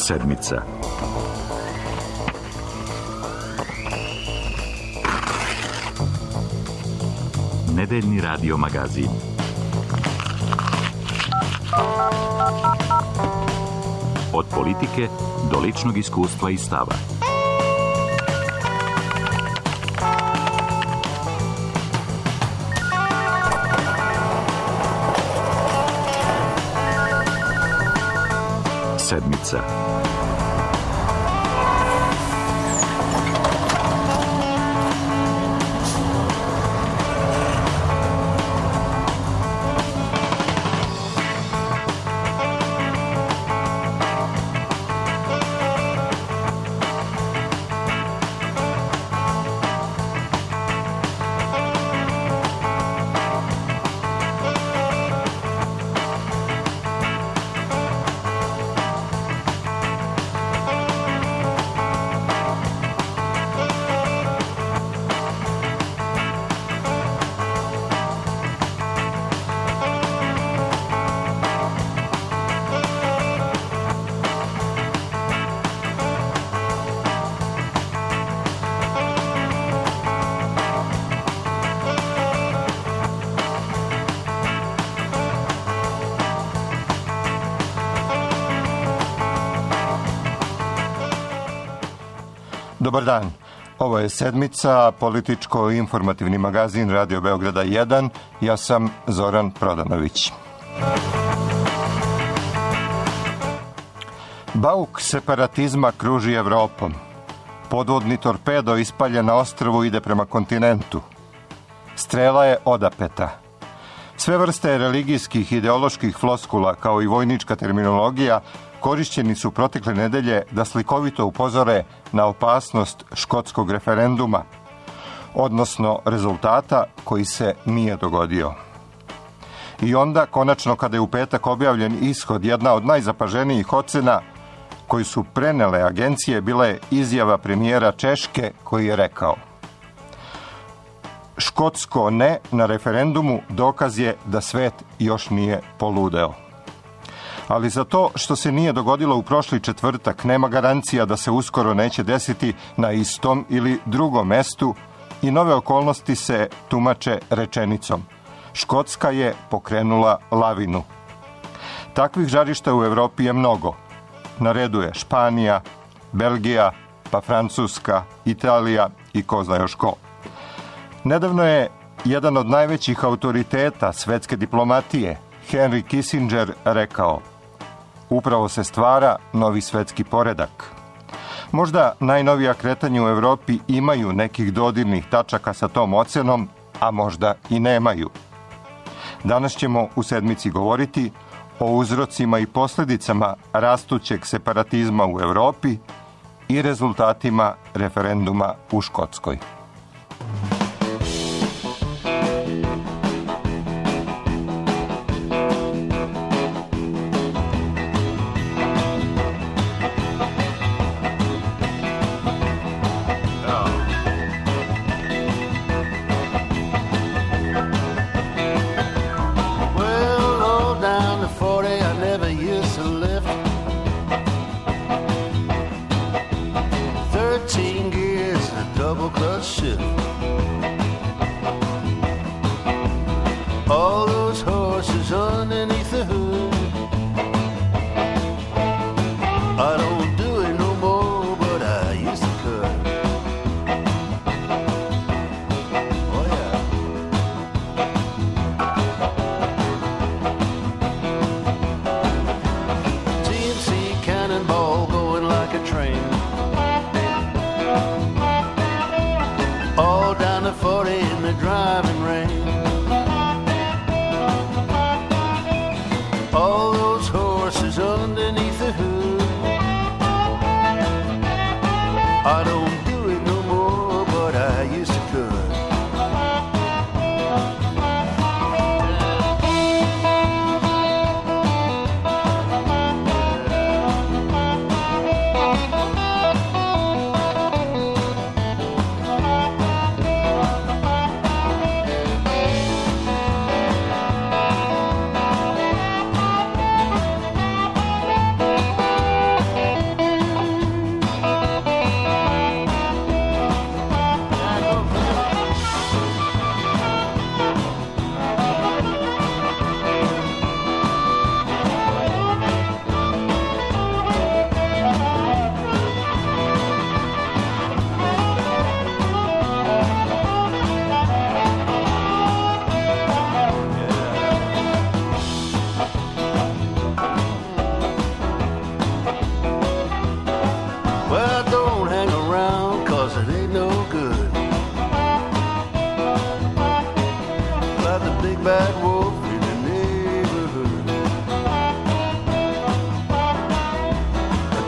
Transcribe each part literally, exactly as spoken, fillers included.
Sedmica. Nedeljni radio magazin. Od politike do ličnog iskustva i stava. Sedmica. Dobar dan, ovo je Sedmica, političko-informativni magazin Radio Beograda jedan, ja sam Zoran Prodanović. Bauk separatizma kruži Evropom. Podvodni torpedo ispaljen na ostrvu ide prema kontinentu. Strela je odapeta. Sve vrste religijskih ideoloških floskula, kao i vojnička terminologija, korišćeni su protekle nedelje da slikovito upozore na opasnost škotskog referenduma, odnosno rezultata koji se nije dogodio. I onda, konačno, kada je u petak objavljen ishod, jedna od najzapaženijih ocena koju su prenele agencije bila je izjava premijera Češke koji je rekao: škotsko ne na referendumu dokaz je da svet još nije poludeo. Ali za to što se nije dogodilo u prošli četvrtak nema garancija da se uskoro neće desiti na istom ili drugom mestu i nove okolnosti se tumače rečenicom: Škotska je pokrenula lavinu. Takvih žarišta u Evropi je mnogo. Na redu je Španija, Belgija, pa Francuska, Italija i ko zna još ko. Nedavno je jedan od najvećih autoriteta svetske diplomatije, Henry Kissinger, rekao: upravo se stvara novi svetski poredak. Možda najnovija kretanja u Evropi imaju nekih dodirnih tačaka sa tom ocenom, a možda i nemaju. Danas ćemo u Sedmici govoriti o uzrocima i posljedicama rastućeg separatizma u Evropi i rezultatima referenduma u Škotskoj.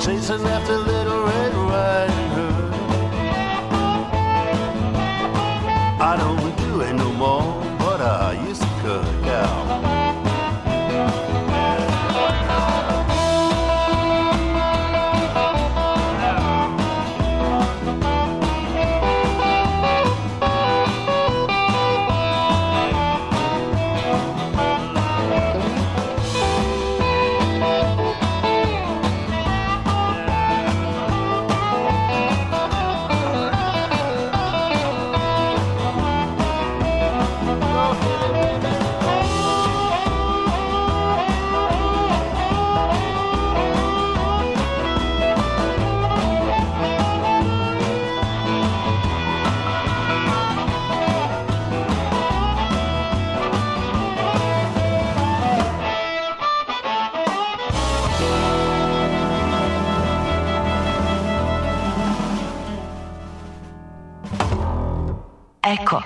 chasing after Little Red Riding Hood. I don't do it no more, but I used to cut cow. Eko.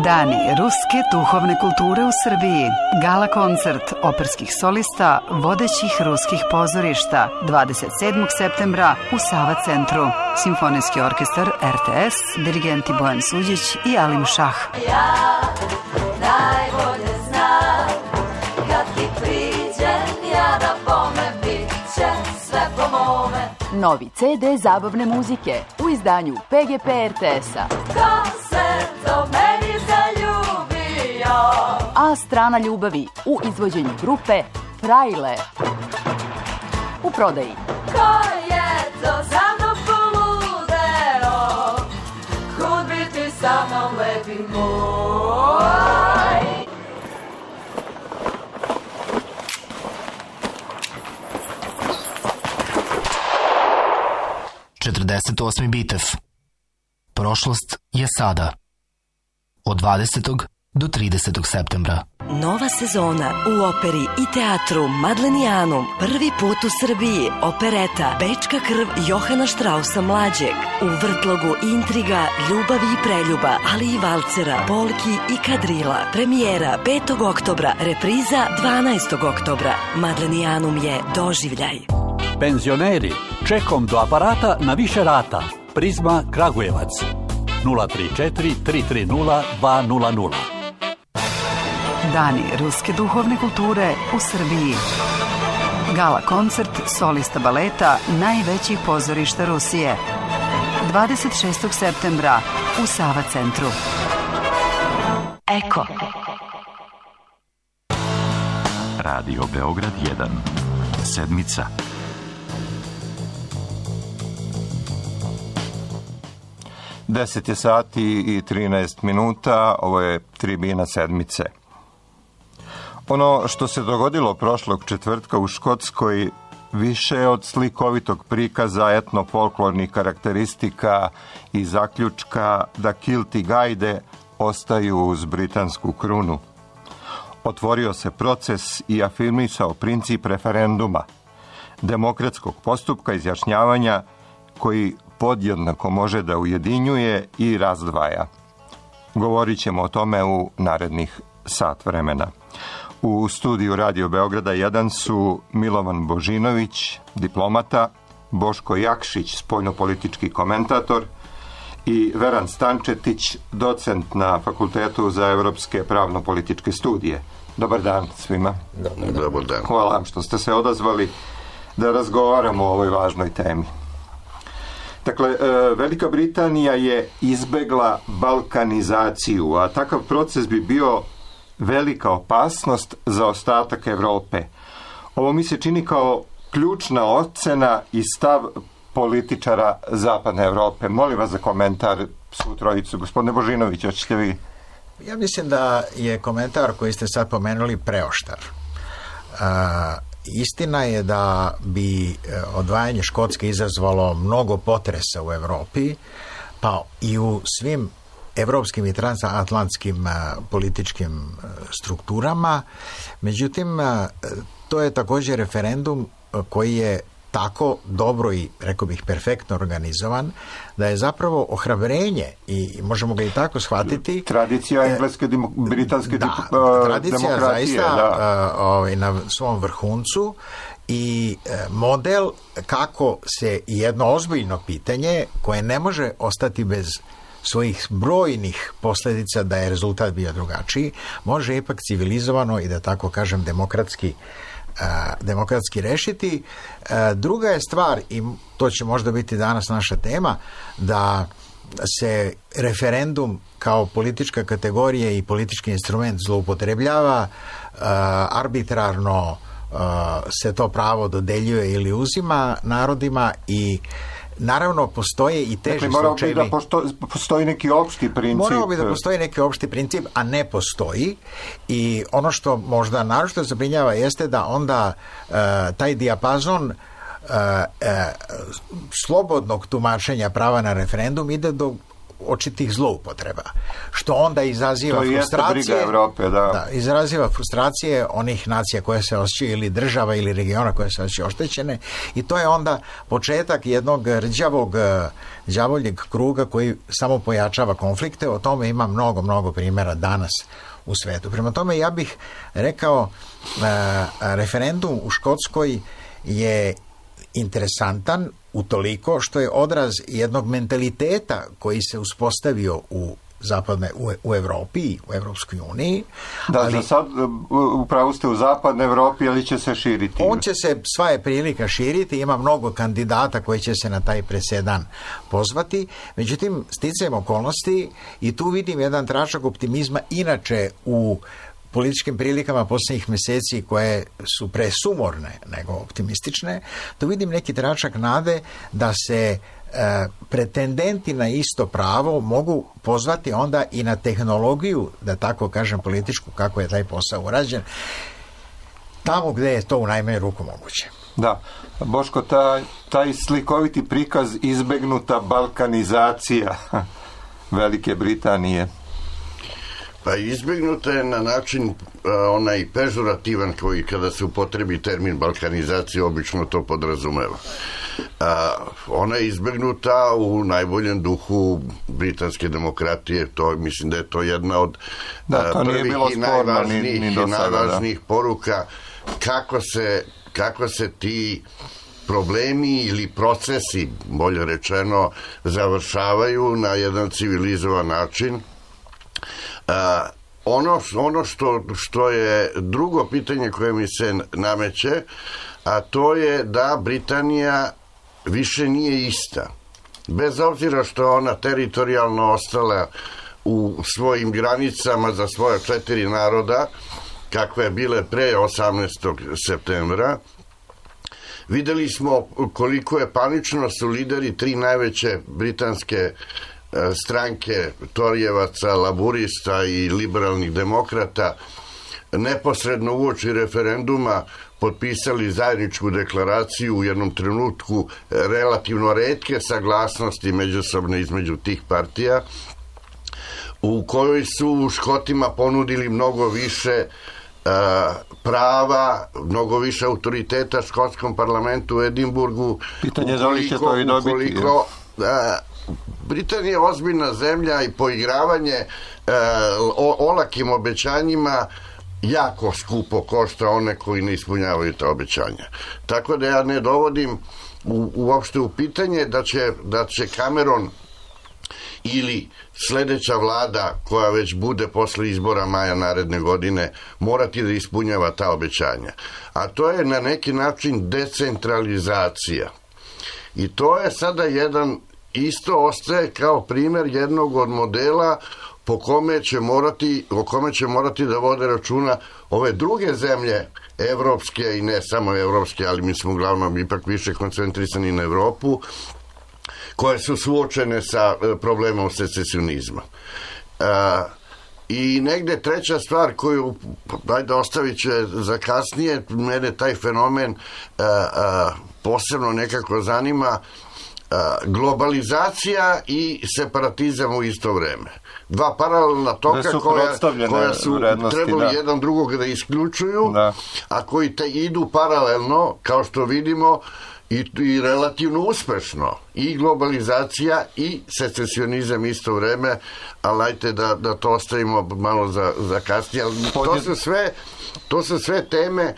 Dani ruske duhovne kulture u Srbiji. Gala koncert operskih solista vodećih ruskih pozorišta dvadeset sedmog septembra u Sava centru. Simfonijski orkestar R T S, dirigenti Bojan Suđić i Alim Šah. Ja najbolje znam kad ti priđem ja da bome bit će sve po mome. Novi C D zabavne muzike u izdanju P G P R T S-a. Ko se to meni zaljubio? A strana ljubavi u izvođenju grupe Frajle. U prodaji. Ko je to za mnom poludeo? Kud bi ti sa mnom lepi moj? četrdeset osmi Bitev. Prošlost je sada. Od dvadesetog do tridesetog septembra. Nova sezona u operi i teatru Madlenijanum. Prvi put u Srbiji opereta Bečka krv Johana Štrausa mlađeg. U vrtlogu intriga, ljubavi i preljuba, ali i valcera, polki i kadrila. Premijera petog oktobra, repriza dvanaestog oktobra. Madlenijanum je doživljaj. Penzioneri, čekom do aparata na više rata. Prizma Kragujevac. nula tri četiri tri tri nula dva nula nula. Dani ruske duhovne kulture u Srbiji. Gala koncert solista baleta najvećih pozorišta Rusije. dvadeset šestog septembra u Sava centru. Eko. Radio Beograd jedan. Sedmica. deset je sati i trinaest minuta, ovo je tribina sedmice. Ono što se dogodilo prošlog četvrtka u Škotskoj više od slikovitog prikaza etno-folklornih karakteristika i zaključka da kilti gajde ostaju uz britansku krunu. Otvorio se proces i afirmisao princip referenduma, demokratskog postupka izjašnjavanja koji podjednako može da ujedinjuje i razdvaja. Govorit ćemo o tome u narednih sat vremena. U studiju Radio Beograda jedan su Milovan Božinović, diplomata, Boško Jakšić, spoljnopolitički komentator i Veran Stančetić, docent na Fakultetu za evropske pravno-političke studije. Dobar dan svima. Dobar dan. Hvala vam što ste se odazvali da razgovaramo o ovoj važnoj temi. Dakle, Velika Britanija je izbegla balkanizaciju, a takav proces bi bio velika opasnost za ostatak Evrope. Ovo mi se čini kao ključna ocena i stav političara Zapadne Evrope. Molim vas za komentar svu trojicu. Gospodine Božinović, hoćete vi? Ja mislim da je komentar koji ste sad pomenuli preoštar. A, istina je da bi odvajanje Škotske izazvalo mnogo potresa u Evropi, pa i u svim evropskim i transatlantskim političkim strukturama. Međutim, to je također referendum koji je tako dobro i, rekao bih, perfektno organizovan, da je zapravo ohrabrenje, i možemo ga i tako shvatiti. Tradicija engleske, demo, britanske da, uh, tradicija demokratije. Zaista da. uh, ovaj, na svom vrhuncu i model kako se jedno ozbiljno pitanje koje ne može ostati bez svojih brojnih posljedica da je rezultat bio drugačiji, može ipak civilizovano i da tako kažem demokratski demokratski rešiti. Druga je stvar, i to će možda biti danas naša tema, da se referendum kao politička kategorija i politički instrument zloupotrebljava, arbitrarno se to pravo dodeljuje ili uzima narodima i naravno postoje i teži dakle, morao slučajevi. Bi da posto, postoji neki opšti princip. Morao bi da postoji neki opšti princip, a ne postoji. I ono što možda naročito zabrinjava jeste da onda uh, taj dijapazon uh, uh, slobodnog tumačenja prava na referendum ide do očitih zloupotreba, što onda izaziva to frustracije. Evrope, da. Da, izaziva frustracije onih nacija koje se osjećaju, ili država ili regiona koje se osjećaju oštećene, i to je onda početak jednog rđavog đavoljeg kruga koji samo pojačava konflikte. O tome ima mnogo, mnogo primjera danas u svetu. Prema tome ja bih rekao, referendum u Škotskoj je interesantan utoliko što je odraz jednog mentaliteta koji se uspostavio u zapadne, u, u Evropi, u Evropskoj uniji. Da, ali, za sad upravo ste u zapadnoj Evropi, ali će se širiti. On će se, sva je prilika širiti, ima mnogo kandidata koji će se na taj presedan pozvati, međutim, sticajem okolnosti, i tu vidim jedan tračak optimizma inače u političkim prilikama posljednjih mjeseci koje su presumorne nego optimistične, tu vidim neki tračak nade da se e, pretendenti na isto pravo mogu pozvati onda i na tehnologiju, da tako kažem političku, kako je taj posao urađen, tamo gdje je to u najmanju ruku moguće. Da, Boško, taj, taj slikoviti prikaz izbegnuta balkanizacija Velike Britanije. Pa izbjegnuta je na način uh, onaj pežorativan koji kada se upotrebi termin balkanizacije obično to podrazumeva. Uh, ona je izbjegnuta u najboljem duhu britanske demokratije, to mislim da je to jedna od da, to uh, prvih bilo i najvažnijih, ni, ni i sada, najvažnijih poruka kako se, kako se ti problemi ili procesi, bolje rečeno, završavaju na jedan civilizovan način. Uh, ono, ono što, što je drugo pitanje koje mi se nameće, a to je da Britanija više nije ista. Bez obzira što je ona teritorijalno ostala u svojim granicama za svoje četiri naroda, kakve je bile pre osamnaestog septembra, videli smo koliko je panično su lideri tri najveće britanske stranke Torijevaca, laburista i liberalnih demokrata neposredno uoči referenduma potpisali zajedničku deklaraciju u jednom trenutku relativno retke saglasnosti međusobne između tih partija, u kojoj su Škotima ponudili mnogo više uh, prava, mnogo više autoriteta škotskom parlamentu u Edimburgu. Pitanje da li će to i dobiti. Ukoliko, uh, Britanija je ozbiljna zemlja i poigravanje e, o, olakim obećanjima jako skupo košta one koji ne ispunjavaju ta obećanja. Tako da ja ne dovodim u, uopšte u pitanje da će, da će Cameron ili sljedeća vlada koja već bude posle izbora maja naredne godine morati da ispunjava ta obećanja. A to je na neki način decentralizacija. I to je sada jedan isto ostaje kao primjer jednog od modela po kome će morati, o kome će morati da vode računa ove druge zemlje evropske i ne samo evropske, ali mi smo uglavnom ipak više koncentrisani na Evropu, koje su suočene sa problemom secesionizma. E, I negde treća stvar koju, dajde ostavit će za kasnije, mene taj fenomen e, e, posebno nekako zanima, globalizacija i separatizam u isto vreme. Dva paralelna toka koja, koja su trebali da. jedan drugog da isključuju, da. a koji te idu paralelno, kao što vidimo, i, i relativno uspešno. I globalizacija i secesionizam isto vreme, ali ajte da, da to ostavimo malo za, za kasnije. Ali to su sve, to su sve teme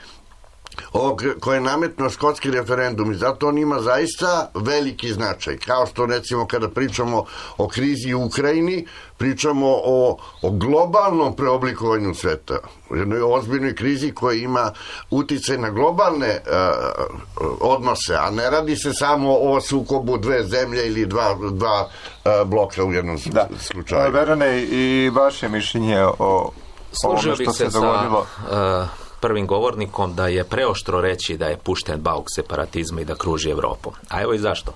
ovog koje je nametno škotski referendum i zato on ima zaista veliki značaj. Kao što recimo kada pričamo o krizi u Ukrajini, pričamo o, o globalnom preoblikovanju sveta. O jednoj ozbiljnoj krizi koja ima uticaj na globalne uh, odnose, a ne radi se samo o sukobu dve zemlje ili dva, dva uh, bloka u jednom da. slučaju. Verane, i vaše mišljenje o Složio ovome što bih se, se dogodilo? Sa, uh, prvim govornikom da je preoštro reći da je pušten bauk separatizma i da kruži Evropom. A evo i zašto.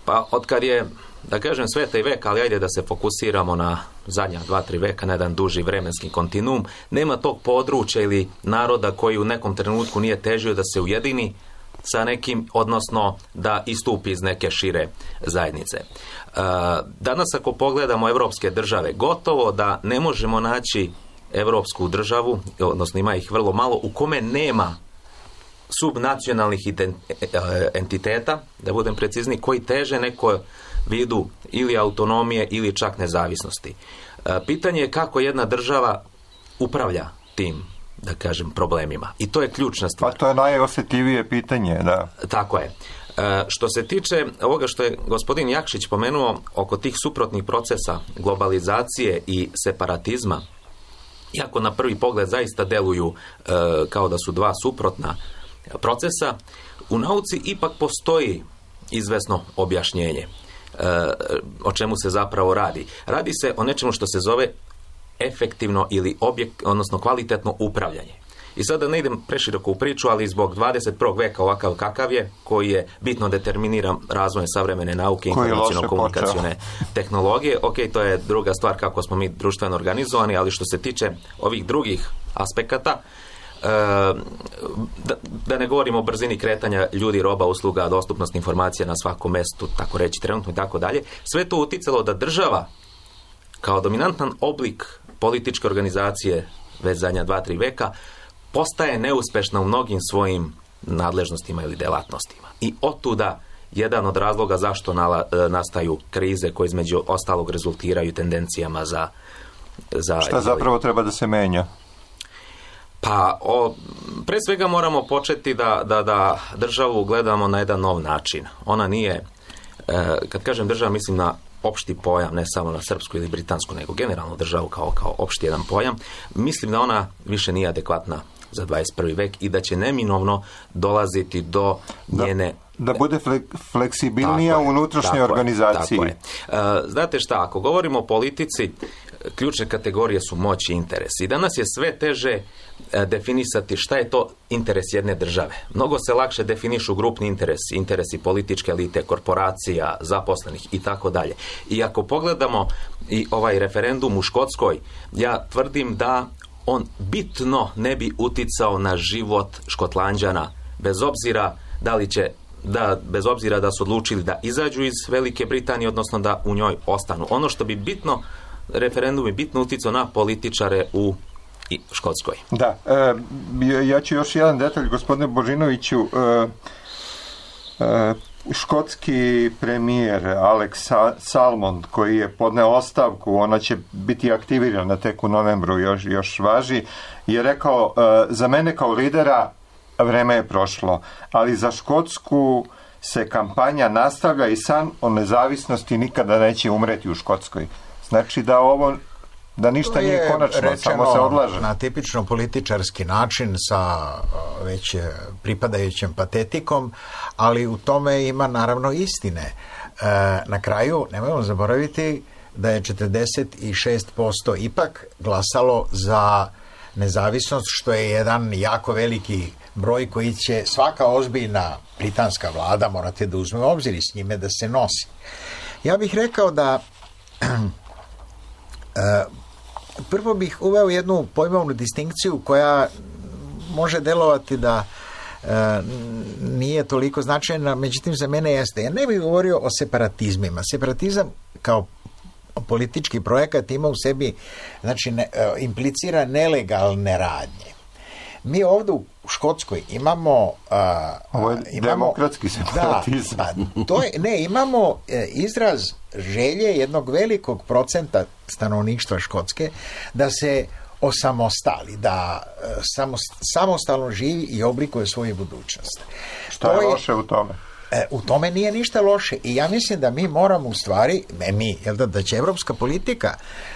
Pa otkad je, da kažem, sveta i veka, ali ajde da se fokusiramo na zadnja dva, tri veka, na jedan duži vremenski kontinuum, nema tog područja ili naroda koji u nekom trenutku nije težio da se ujedini sa nekim, odnosno da istupi iz neke šire zajednice. E, danas ako pogledamo evropske države, gotovo da ne možemo naći evropsku državu, odnosno ima ih vrlo malo, u kome nema subnacionalnih entiteta, da budem precizni, koji teže neko vidu ili autonomije ili čak nezavisnosti. Pitanje je kako jedna država upravlja tim, da kažem, problemima. I to je ključna stvar. Pa to je najosjetljivije pitanje, da. Tako je. Što se tiče ovoga što je gospodin Jakšić pomenuo oko tih suprotnih procesa globalizacije i separatizma, iako na prvi pogled zaista deluju e, kao da su dva suprotna procesa, u nauci ipak postoji izvesno objašnjenje e, o čemu se zapravo radi. Radi se o nečemu što se zove efektivno ili objekt, odnosno kvalitetno upravljanje. I sada ne idem preširoko u priču, ali zbog dvadeset prvog veka ovakav kakav je, koji je bitno determiniran razvojem savremene nauke i informaciono-komunikacione tehnologije. Ok, to je druga stvar kako smo mi društveno organizovani, ali što se tiče ovih drugih aspekata, da, da ne govorimo o brzini kretanja ljudi, roba, usluga, dostupnost informacija na svakom mestu, tako reći trenutno i tako dalje, sve to uticalo da država kao dominantan oblik političke organizacije već zadnja dva, tri veka postaje neuspešna u mnogim svojim nadležnostima ili delatnostima. I otuda jedan od razloga zašto nala, nastaju krize koje između ostalog rezultiraju tendencijama za... za Šta zapravo treba da se menja? Pa, o, pre svega moramo početi da, da, da državu gledamo na jedan nov način. Ona nije, e, kad kažem država, mislim na opšti pojam, ne samo na srpsku ili britansku, nego generalno državu kao, kao opšti jedan pojam. Mislim da ona više nije adekvatna za dvadeset prvi vek i da će neminovno dolaziti do njene... Da, da bude fleksibilnija u unutrašnjoj organizaciji. Tako je. E, znate šta, ako govorimo o politici, ključne kategorije su moć i interes. I danas je sve teže e, definisati šta je to interes jedne države. Mnogo se lakše definišu grupni interesi, interesi političke elite, korporacija, zaposlenih i tako dalje. I ako pogledamo i ovaj referendum u Škotskoj, ja tvrdim da on bitno ne bi uticao na život Škotlanđana, bez obzira da li će da, bez obzira da su odlučili da izađu iz Velike Britanije, odnosno da u njoj ostanu. Ono što bi bitno, referendum je bitno uticao na političare u Škotskoj. Da, e, ja ću još jedan detalj, gospodine Božinoviću. E, e, škotski premijer Alex Salmond, koji je podneo ostavku, ona će biti aktivirana tek u novembru, još, još važi, je rekao, e, za mene kao lidera vreme je prošlo, ali za Škotsku se kampanja nastavlja i san o nezavisnosti nikada neće umreti u Škotskoj. Znači da ovo, da ništa nije konačno, samo se odlaže. Na tipično političarski način sa već pripadajućem patetikom, ali u tome ima naravno istine. E, na kraju, nemojmo zaboraviti da je četrdeset šest posto ipak glasalo za nezavisnost, što je jedan jako veliki broj koji će svaka ozbiljna britanska vlada morate da uzme u obzir i s njime da se nosi. Ja bih rekao da prvo bih uveo jednu pojmovnu distinkciju koja može delovati da nije toliko značajna, međutim za mene jeste. Ja ne bih govorio o separatizmima. Separatizam kao politički projekat ima u sebi, znači ne, implicira nelegalne radnje. Mi ovdje u Škotskoj imamo... Uh, Ovo je imamo, demokratski separatizam. Da, pa, to je, ne, imamo e, izraz želje jednog velikog procenta stanovništva Škotske da se osamostali, da samostalno živi i oblikuje svoju budućnost. Šta je loše u tome? E, u tome nije ništa loše i ja mislim da mi moramo u stvari, ne mi, jel da, da će evropska politika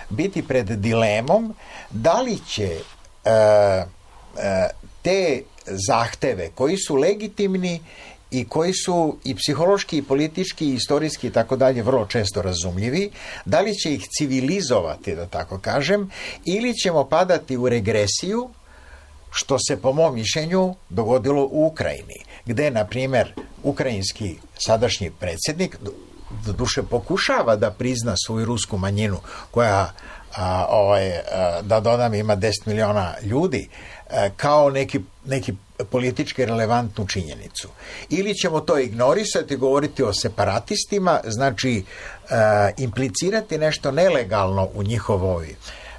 biti pred dilemom da li će e, e, te zahteve koji su legitimni i koji su i psihološki, i politički, i istorijski i tako dalje vrlo često razumljivi, da li će ih civilizovati, da tako kažem, ili ćemo padati u regresiju, što se po mom mišljenju dogodilo u Ukrajini, gde, na primjer, ukrajinski sadašnji predsjednik doduše pokušava da prizna svoju rusku manjinu, koja, a, ovaj, a, da dodam, ima deset miliona ljudi, a, kao neki, neki politički relevantnu činjenicu. Ili ćemo to ignorisati, govoriti o separatistima, znači a, implicirati nešto nelegalno u njihovoj,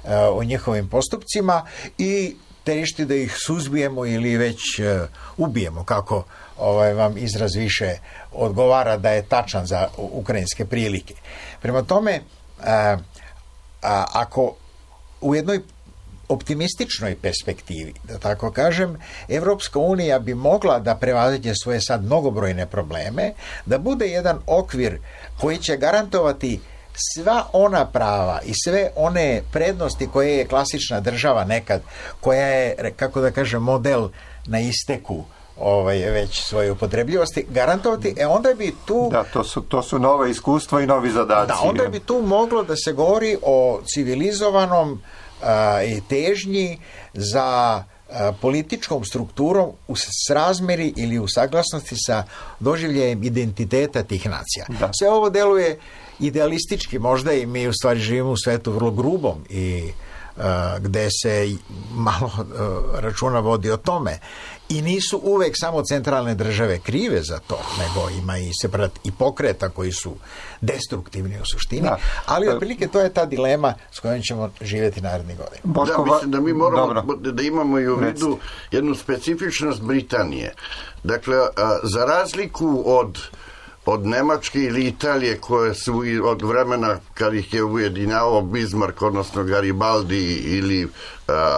a, u njihovim postupcima i tešti da ih suzbijemo ili već uh, ubijemo, kako ovaj, vam izraz više odgovara da je tačan za ukrajinske prilike. Prema tome, uh, a, ako u jednoj optimističnoj perspektivi, da tako kažem, Evropska unija bi mogla da prevaziđe svoje sad mnogobrojne probleme, da bude jedan okvir koji će garantovati sva ona prava i sve one prednosti koje je klasična država nekad, koja je, kako da kažem, model na isteku ovaj, već svoje upotrebljivosti, garantovati, e onda bi tu... Da, to su, to su nove iskustva i novi zadaci. Da, onda bi tu moglo da se govori o civilizovanom a, i težnji za a, političkom strukturom u srazmeri ili u saglasnosti sa doživljajem identiteta tih nacija. Da. Sve ovo deluje idealistički možda i mi u stvari živimo u svetu vrlo grubom i uh, gde se malo uh, računa vodi o tome. I nisu uvek samo centralne države krive za to, nego ima i separat i pokreta koji su destruktivni u suštini, da. Ali otprilike to je ta dilema s kojom ćemo živjeti narednih godina. Da, mislim da mi moramo Dobro. da imamo i u vidu jednu specifičnost Britanije. Dakle, a, za razliku od od Nemačke ili Italije, koje su od vremena kad ih je ujedinjavao Bismarck, odnosno Garibaldi ili uh,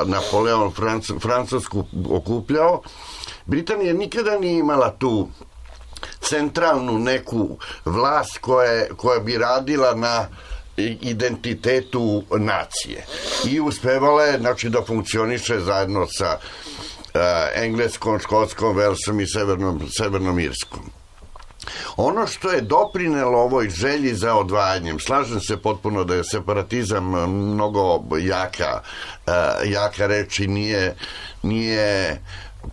Napoleon Franc- Francusku okupljao, Britanija nikada nije imala tu centralnu neku vlast koja, koja bi radila na identitetu nacije. I uspevala je, znači, da funkcioniše zajedno sa uh, Engleskom, Škotskom, Velsom i Severnom, Severnom Irskom. Ono što je doprinelo ovoj želji za odvajanjem, slažem se potpuno da je separatizam mnogo jaka, jaka reč i nije, nije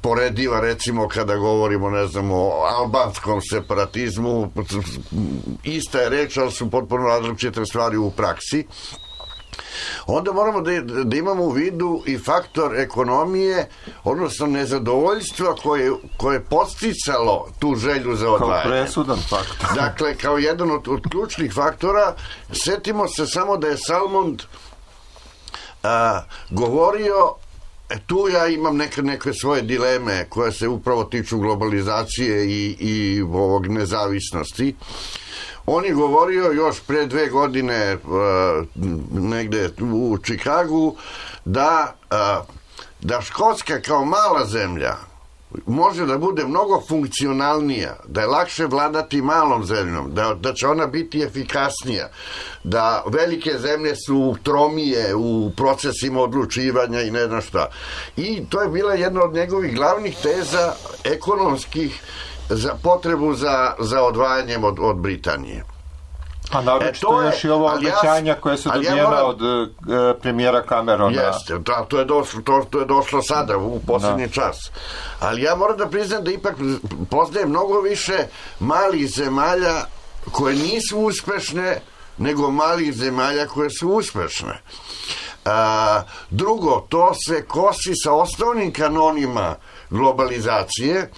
porediva, recimo kada govorimo, ne znam, o albanskom separatizmu, ista je reč, ali su potpuno različite stvari u praksi. Onda moramo da, da imamo u vidu i faktor ekonomije, odnosno nezadovoljstva koje, koje je posticalo tu želju za odvajanje. Kao presudan faktor. Dakle, kao jedan od, od ključnih faktora, setimo se samo da je Salmond a, govorio, e, tu ja imam neke, neke svoje dileme koje se upravo tiču globalizacije i, i ovog nezavisnosti. On je govorio još pre dve godine uh, negde u Čikagu da, uh, da Škotska kao mala zemlja može da bude mnogo funkcionalnija, da je lakše vladati malom zemljom, da, da će ona biti efikasnija, da velike zemlje su tromije u procesima odlučivanja i ne znam šta. I to je bila jedna od njegovih glavnih teza ekonomskih za potrebu za, za odvajanjem od, od Britanije. A naročito e, još i ovo obećanja ja, koje su dobijena ja moram, od uh, premijera Camerona. Jeste, da, to, je došlo, to, to je došlo sada u posljednji da. čas. Ali ja moram da priznam da ipak poznajem mnogo više malih zemalja koje nisu uspešne nego malih zemalja koje su uspešne. A, drugo, to se kosi sa osnovnim kanonima globalizacije.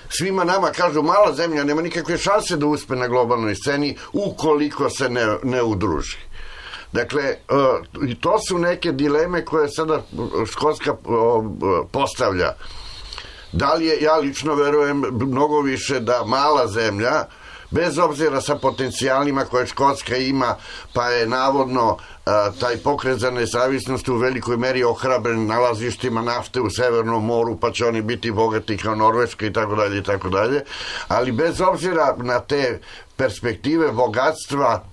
Svima nama kažu, mala zemlja nema nikakve šanse da uspe na globalnoj sceni ukoliko se ne, ne udruži. Dakle, uh, i to su neke dileme koje sada Škotska uh, postavlja. Da li je, ja lično verujem mnogo više da mala zemlja bez obzira sa potencijalima koje Škotska ima, pa je navodno a, taj pokret za nezavisnost u velikoj meri ohrabren nalazištima nafte u Severnom moru, pa će oni biti bogati kao Norveška i tako dalje i tako dalje, ali bez obzira na te perspektive bogatstva,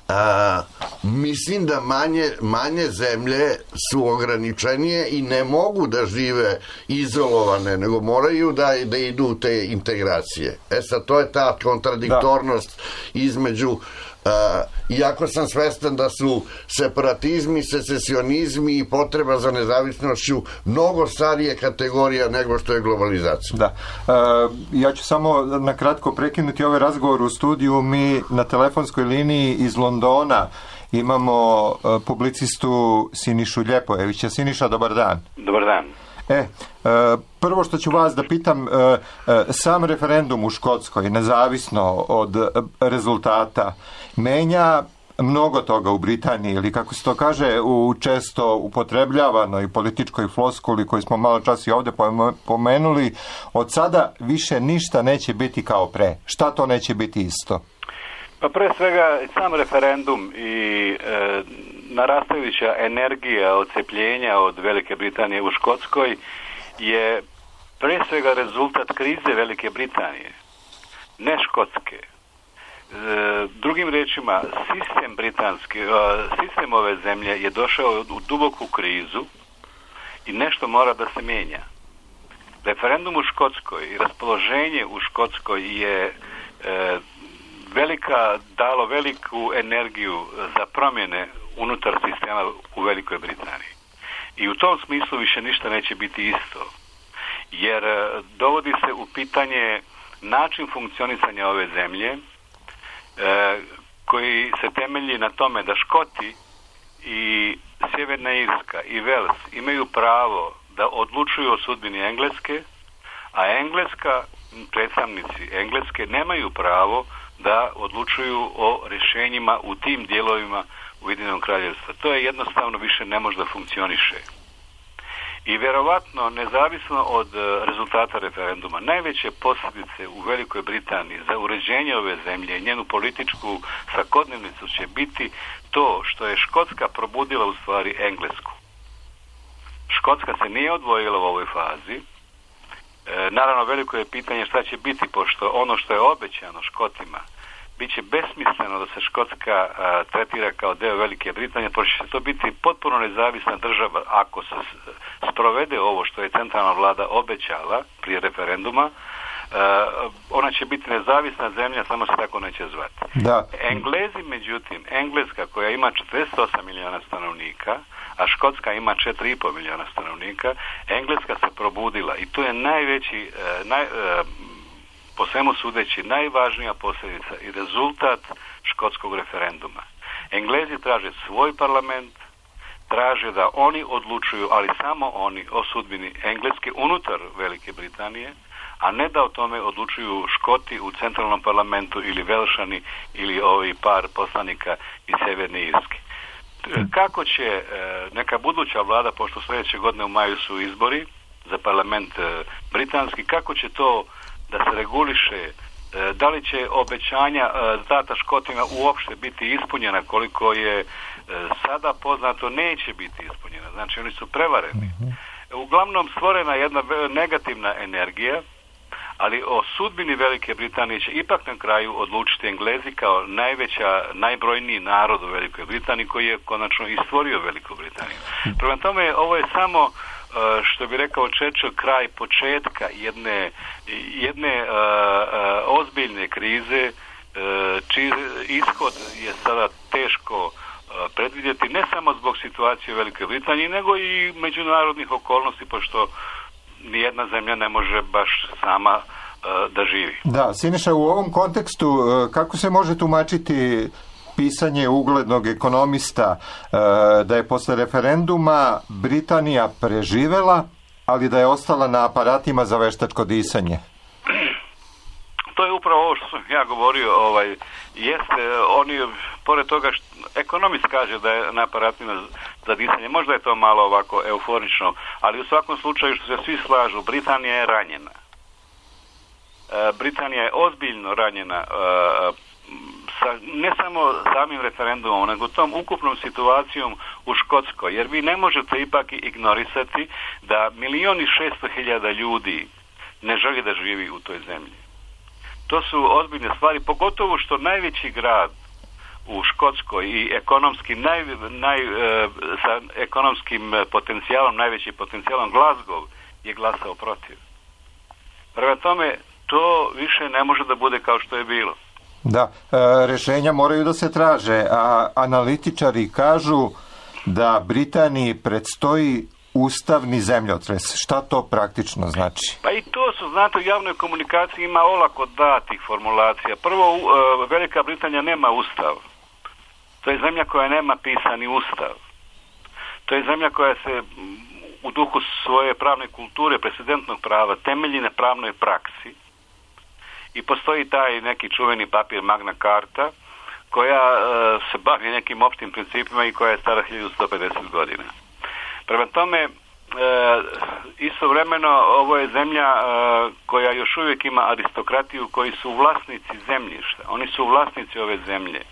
a, mislim da manje, manje zemlje su ograničenije i ne mogu da žive izolovane, nego moraju da, da idu u te integracije. E sad, to je ta kontradiktornost da. između Uh, iako sam svestan da su separatizmi, secesionizmi i potreba za nezavisnošću mnogo starije kategorija nego što je globalizacija. Da. Uh, ja ću samo na kratko prekinuti ovaj razgovor u studiju. Mi na telefonskoj liniji iz Londona imamo uh, publicistu Sinišu Ljepojevića. Siniša, dobar dan. Dobar dan. E, prvo što ću vas da pitam, sam referendum u Škotskoj, nezavisno od rezultata, menja mnogo toga u Britaniji, ili kako se to kaže u često upotrebljavanoj političkoj floskuli koju smo malo čas i ovdje pomenuli, od sada više ništa neće biti kao pre. Šta to neće biti isto? Pa pre svega sam referendum i e, narastajuća energija odcepljenja od Velike Britanije u Škotskoj je pre svega rezultat krize Velike Britanije, ne Škotske. E, drugim rečima, sistem britanski, e, sistem ove zemlje je došao u duboku krizu i nešto mora da se mijenja. Referendum u Škotskoj i raspoloženje u Škotskoj je e, velika, dalo veliku energiju za promjene unutar sistema u Velikoj Britaniji. I u tom smislu više ništa neće biti isto. Jer dovodi se u pitanje način funkcionisanja ove zemlje e, koji se temelji na tome da Škoti i Sjeverna Irska i Wales imaju pravo da odlučuju o sudbini Engleske, a Engleska, predstavnici Engleske nemaju pravo da odlučuju o rješenjima u tim dijelovima Ujedinjenog kraljevstva. To je jednostavno više ne može da funkcioniše. I vjerovatno, nezavisno od rezultata referenduma, najveće posljedice u Velikoj Britaniji za uređenje ove zemlje i njenu političku svakodnevnicu će biti to što je Škotska probudila u stvari Englesku. Škotska se nije odvojila u ovoj fazi. E, naravno, veliko je pitanje šta će biti, pošto ono što je obećano Škotima bit će besmisleno da se Škotska a, tretira kao deo Velike Britanije, pošto će to biti potpuno nezavisna država ako se sprovede ovo što je centralna vlada obećala prije referenduma. A, ona će biti nezavisna zemlja, samo se tako neće zvati. Da. Englezi, međutim, Engleska koja ima četrdeset osam milijuna stanovnika, a Škotska ima četiri i pol milijuna stanovnika, Engleska se probudila i to je najveći, naj, po svemu sudeći, najvažnija posljedica i rezultat škotskog referenduma. Englezi traže svoj parlament, traže da oni odlučuju, ali samo oni, o sudbini Engleske unutar Velike Britanije, a ne da o tome odlučuju Škoti u centralnom parlamentu ili Velšani ili ovi par poslanika iz Sjeverne Irske. Kako će neka buduća vlada, pošto sljedeće godine u maju su izbori za parlament britanski, kako će to da se reguliše, da li će obećanja data Škotima uopšte biti ispunjena, koliko je sada poznato neće biti ispunjena. Znači oni su prevareni. Uglavnom stvorena jedna negativna energija, ali o sudbini Velike Britanije će ipak na kraju odlučiti Englezi kao najveća, najbrojniji narod u Velikoj Britaniji koji je konačno i stvorio Veliku Britaniju. Prema tome, ovo je samo, što bi rekao Churchill, kraj početka jedne, jedne uh, uh, ozbiljne krize, uh, čiji ishod je sada teško uh, predvidjeti, ne samo zbog situacije u Velikoj Britaniji, nego i međunarodnih okolnosti, pošto nijedna zemlja ne može baš sama uh, da živi. Da, Siniša, u ovom kontekstu uh, kako se može tumačiti pisanje uglednog ekonomista uh, da je posle referenduma Britanija preživela, ali da je ostala na aparatima za veštačko disanje? To je upravo ovo što sam ja govorio, ovaj, jeste, oni, pored toga što ekonomist kaže da je na aparatima za disanje, možda je to malo ovako euforično, ali u svakom slučaju što se svi slažu, Britanija je ranjena. Britanija je ozbiljno ranjena sa, ne samo samim referendumom, nego tom ukupnom situacijom u Škotskoj, jer vi ne možete ipak ignorisati da milion i šesto hiljada ljudi ne želi da živi u toj zemlji. To su ozbiljne stvari, pogotovo što najveći grad u Škotskoj i ekonomski naj, naj, sa ekonomskim potencijalom, najveći potencijalom Glasgow je glasao protiv. Prema tome, to više ne može da bude kao što je bilo. Da, e, rešenja moraju da se traže, a analitičari kažu da Britaniji predstoji ustavni zemljotres. Šta to praktično znači? Pa i to su, znate, u javnoj komunikaciji ima olako datih formulacija. Prvo, e, Velika Britanija nema ustav. To je zemlja koja nema pisani ustav. To je zemlja koja se u duhu svoje pravne kulture, precedentnog prava, temelji na pravnoj praksi. I postoji taj neki čuveni papir Magna Carta, koja e, se bavi nekim opštim principima i koja je stara hiljadu sto pedeset godina. Prema tome, e, istovremeno, ovo je zemlja e, koja još uvijek ima aristokratiju koji su vlasnici zemljišta. Oni su vlasnici ove zemlje.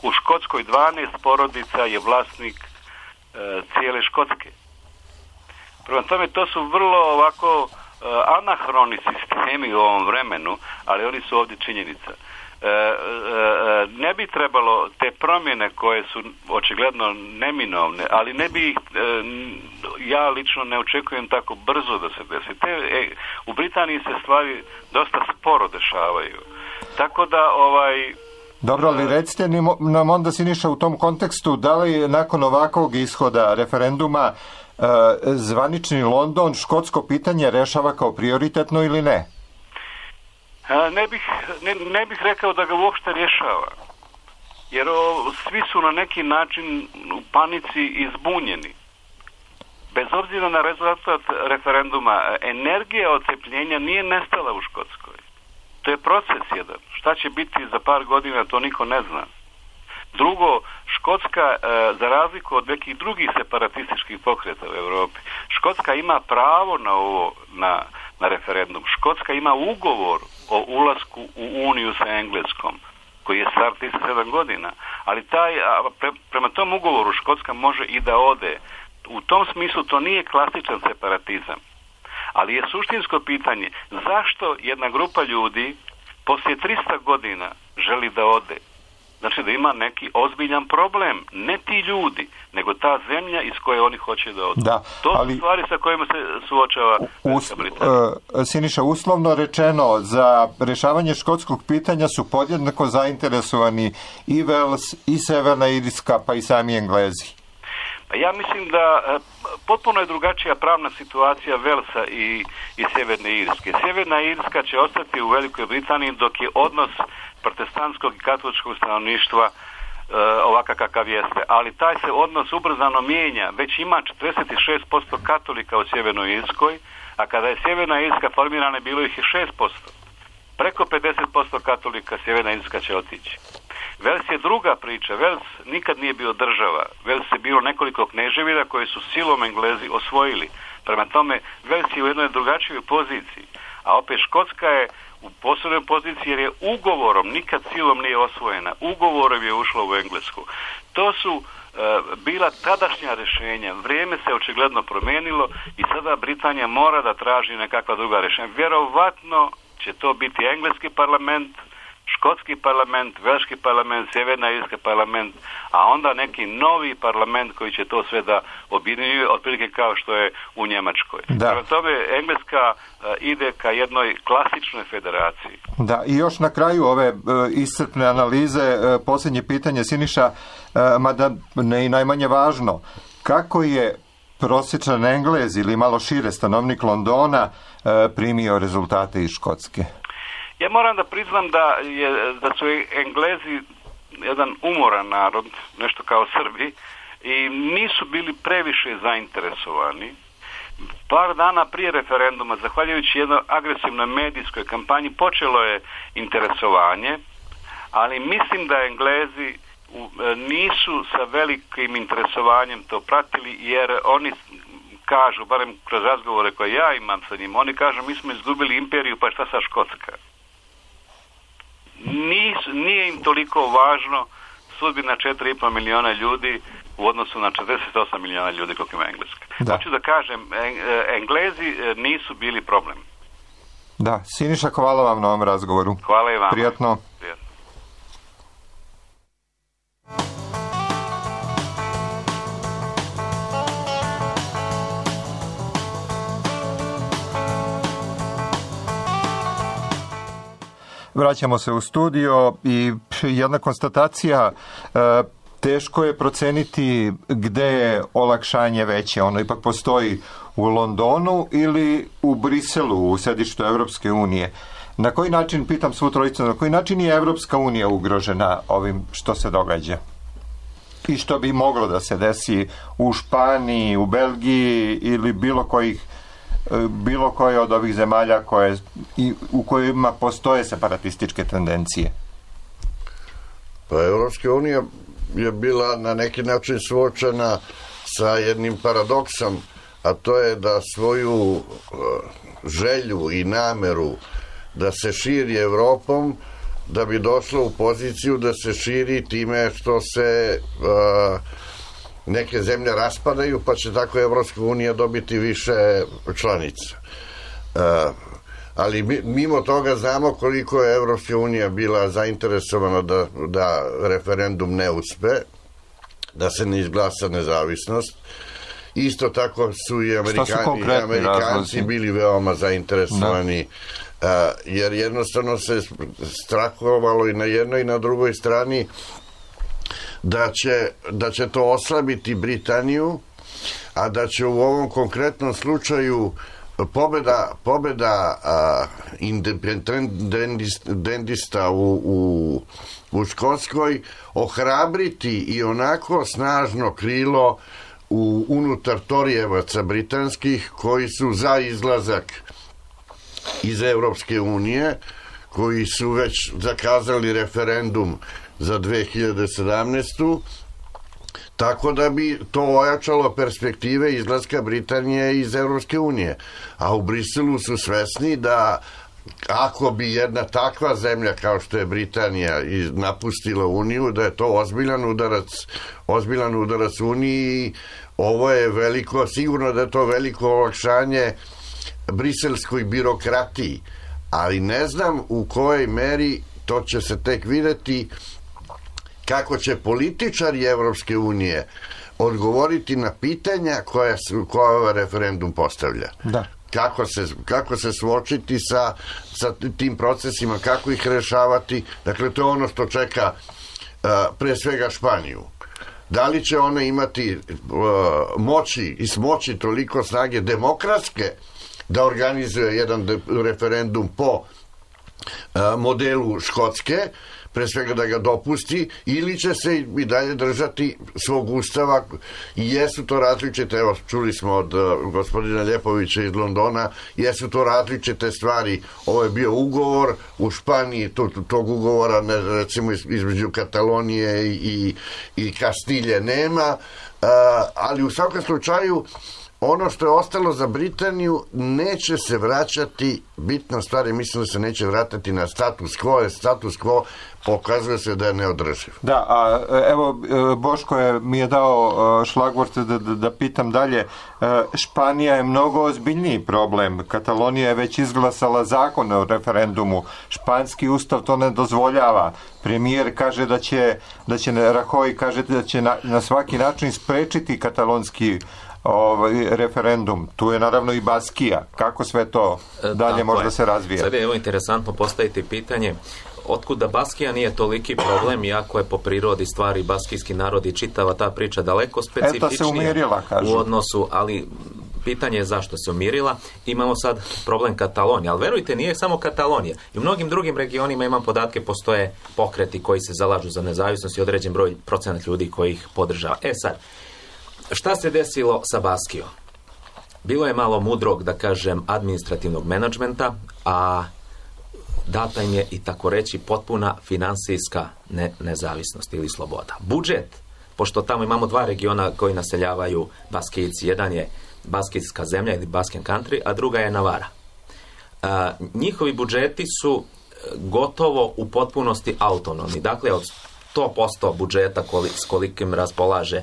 U Škotskoj dvanaest porodica je vlasnik e, cijele Škotske. Prema tome, to su vrlo ovako anahroni sistemi u ovom vremenu, ali oni su ovdje činjenica. E, e, ne bi trebalo te promjene koje su očigledno neminovne, ali ne bi ih, e, ja lično ne očekujem tako brzo da se desi. Te, e, u Britaniji se stvari dosta sporo dešavaju. Tako da ovaj... Dobro, ali recite nam onda, Siniša, u tom kontekstu, da li nakon ovakvog ishoda referenduma zvanični London škotsko pitanje rešava kao prioritetno ili ne? Ne bih, ne, ne bih rekao da ga uopšte rješava. Jer o, svi su na neki način u panici i zbunjeni. Bez obzira na rezultat referenduma, energija odcepljenja nije nestala u Škotskoj. To je proces jedan. Šta će biti za par godina, to niko ne zna. Drugo, Škotska, za razliku od nekih drugih separatističkih pokreta u Europi, Škotska ima pravo na ovo, na, na referendum. Škotska ima ugovor o ulasku u Uniju sa Engleskom, koji je star trideset sedam godina. Ali taj, pre, prema tom ugovoru Škotska može i da ode. U tom smislu to nije klasičan separatizam. Ali je suštinsko pitanje, zašto jedna grupa ljudi poslije tristo godina želi da ode? Znači da ima neki ozbiljan problem, ne ti ljudi, nego ta zemlja iz koje oni hoće da odu. Da, to ali, su stvari sa kojima se suočava us, uh, Siniša, uslovno rečeno, za rešavanje škotskog pitanja su podjednako zainteresovani i Wales, i Severna Irska, pa i sami Englezi. Ja mislim da potpuno je drugačija pravna situacija Velsa i, i Sjeverne Irske. Sjeverna Irska će ostati u Velikoj Britaniji dok je odnos protestantskog i katoličkog stanovništva e, ovakav kakav jeste. Ali taj se odnos ubrzano mijenja. Već ima četrdeset šest posto katolika u Sjevernoj Irskoj, a kada je Sjeverna Irska formirana bilo ih je šest posto. Preko pedeset posto katolika Sjeverna Irska će otići. Vels je druga priča. Vels nikad nije bio država. Vels je bilo nekoliko kneževina koje su silom Englezi osvojili. Prema tome, Vels je u jednoj drugačijoj poziciji. A opet Škotska je u posebnoj poziciji jer je ugovorom, nikad silom nije osvojena, ugovorom je ušla u Englesku. To su e, bila tadašnja rješenja. Vrijeme se očigledno promijenilo i sada Britanija mora da traži nekakva druga rješenja. Vjerovatno će to biti engleski parlament, škotski parlament, velški parlament, sjeverna irski parlament, a onda neki novi parlament koji će to sve da objedinjuje, otprilike kao što je u Njemačkoj. Prema tome, Engleska uh, ide ka jednoj klasičnoj federaciji. Da, i još na kraju ove uh, iscrpne analize, uh, posljednje pitanje, Siniša, uh, mada ne i najmanje važno, kako je prosječan Englez ili malo šire stanovnik Londona uh, primio rezultate iz Škotske? Ja moram da priznam da, je, da su Englezi jedan umoran narod, nešto kao Srbi, i nisu bili previše zainteresovani. Par dana prije referenduma, zahvaljujući jednoj agresivnoj medijskoj kampanji, počelo je interesovanje, ali mislim da Englezi nisu sa velikim interesovanjem to pratili, jer oni kažu, barem kroz razgovore koje ja imam sa njim, oni kažu mi smo izgubili imperiju, pa šta sa Škotska? Nis, nije im toliko važno sudbina četiri i po miliona ljudi u odnosu na četrdeset osam miliona ljudi koliko ima Engleska. Da. Hoću da kažem, Englezi nisu bili problem. Da, Siniša, hvala vam na ovom razgovoru. Hvala i vam. Prijatno. Prijatno. Vraćamo se u studio i jedna konstatacija, e, teško je proceniti gde je olakšanje veće. Ono ipak postoji u Londonu ili u Briselu, u sedištu Evropske unije. Na koji način, pitam svu trojicu, na koji način je Evropska unija ugrožena ovim što se događa? I što bi moglo da se desi u Španiji, u Belgiji ili bilo kojih bilo koje od ovih zemalja koje, i, u kojima postoje separatističke tendencije? Pa Evropska unija je bila na neki način suočena sa jednim paradoksom, a to je da svoju uh, želju i nameru da se širi Evropom, da bi došla u poziciju da se širi time što se uh, neke zemlje raspadaju, pa će tako Evropska unija dobiti više članica. Uh, ali mimo toga znamo koliko je Evropska unija bila zainteresovana da, da referendum ne uspe, da se ne izglasa nezavisnost. Isto tako su i Amerikani, i Amerikanci bili veoma zainteresovani, uh, jer jednostavno se strahovalo i na jednoj i na drugoj strani da će, da će to oslabiti Britaniju, a da će u ovom konkretnom slučaju pobeda, pobeda uh, independentista u, u, u Škotskoj ohrabriti i onako snažno krilo u unutar Torijevaca britanskih koji su za izlazak iz Evropske unije, koji su već zakazali referendum za dve hiljade sedamnaestu. Tako da bi to ojačalo perspektive izlaska Britanije iz Evropske unije. A u Briselu su svesni da ako bi jedna takva zemlja kao što je Britanija napustila Uniju, da je to ozbiljan udarac, ozbiljan udarac Uniji. Ovo je veliko, sigurno da je to veliko olakšanje briselskoj birokratiji, ali ne znam u kojoj meri, to će se tek videti, kako će političari Evropske unije odgovoriti na pitanja koja, su, koja ovaj referendum postavlja. Da. Kako se, kako se suočiti sa, sa tim procesima, kako ih rešavati. Dakle, to je ono što čeka uh, pre svega Španiju. Da li će ona imati uh, moći i smoći toliko snage demokratske da organizuje jedan de, referendum po uh, modelu Škotske, pre svega da ga dopusti, ili će se i dalje držati svog ustava. I jesu to različite, evo čuli smo od uh, gospodina Ljepovića iz Londona, jesu to različite stvari. Ovo je bio ugovor u Španiji, to, tog ugovora ne, recimo između Katalonije i, i Kastilje nema, uh, ali u svakom slučaju ono što je ostalo za Britaniju neće se vraćati, bitna stvar je, mislim da se neće vratiti na status quo, jer status quo pokazuje se da je neodrživ. Da, a evo Boško je, mi je dao šlagvort da, da, da pitam dalje. Španija je mnogo ozbiljniji problem. Katalonija je već izglasala zakon o referendumu. Španski ustav to ne dozvoljava. Premijer kaže da će, da će Rajoy kaže da će na, na svaki način sprečiti katalonski ovaj referendum. Tu je naravno i Baskija. Kako sve to dalje može da se razvija? Sad je evo interesantno postaviti pitanje otkud da Baskija nije toliki problem, iako je po prirodi stvari baskijski narod i čitava ta priča daleko specifičnija. Eto se umirila, kažu. U odnosu, ali pitanje je zašto se umirila. Imamo sad problem Katalonije, ali verujte, nije samo Katalonija. I u mnogim drugim regionima, imam podatke, postoje pokreti koji se zalažu za nezavisnost i određen broj procenat ljudi koji ih podržava. E sad, šta se desilo sa Baskijom? Bilo je malo mudrog, da kažem, administrativnog menadžmenta, a data im je i tako reći potpuna finansijska ne, nezavisnost ili sloboda. Budžet, pošto tamo imamo dva regiona koji naseljavaju Baskijci, jedan je baskijska zemlja ili Basken country, a druga je Navara. A, njihovi budžeti su gotovo u potpunosti autonomni. Dakle, od sto posto budžeta koli, s kolikim raspolaže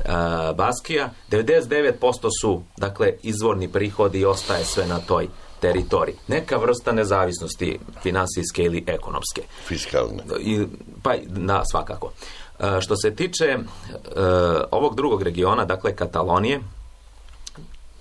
a, Baskija, devedeset devet posto su, dakle, izvorni prihodi i ostaje sve na toj teritoriji. Neka vrsta nezavisnosti finansijske ili ekonomske. Fiskalne. I, pa, na, svakako. A, što se tiče a, ovog drugog regiona, dakle, Katalonije,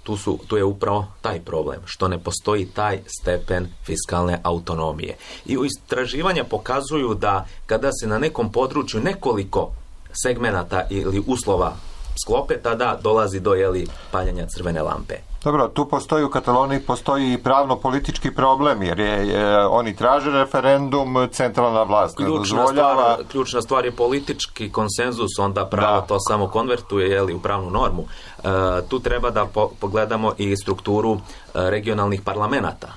Tu, su, tu je upravo taj problem, što ne postoji taj stepen fiskalne autonomije. I istraživanja pokazuju da kada se na nekom području nekoliko segmenata ili uslova sklope, tada dolazi do jeli, paljenja crvene lampe. Dobro, tu postoji u Kataloniji postoji i pravno-politički problem, jer je, je, oni traže referendum, centralna vlast ne dozvoljava. Stvar, ključna stvar je politički konsenzus, onda pravo da. to samo konvertuje jeli, u pravnu normu. E, tu treba da po, pogledamo i strukturu e, regionalnih parlamenata.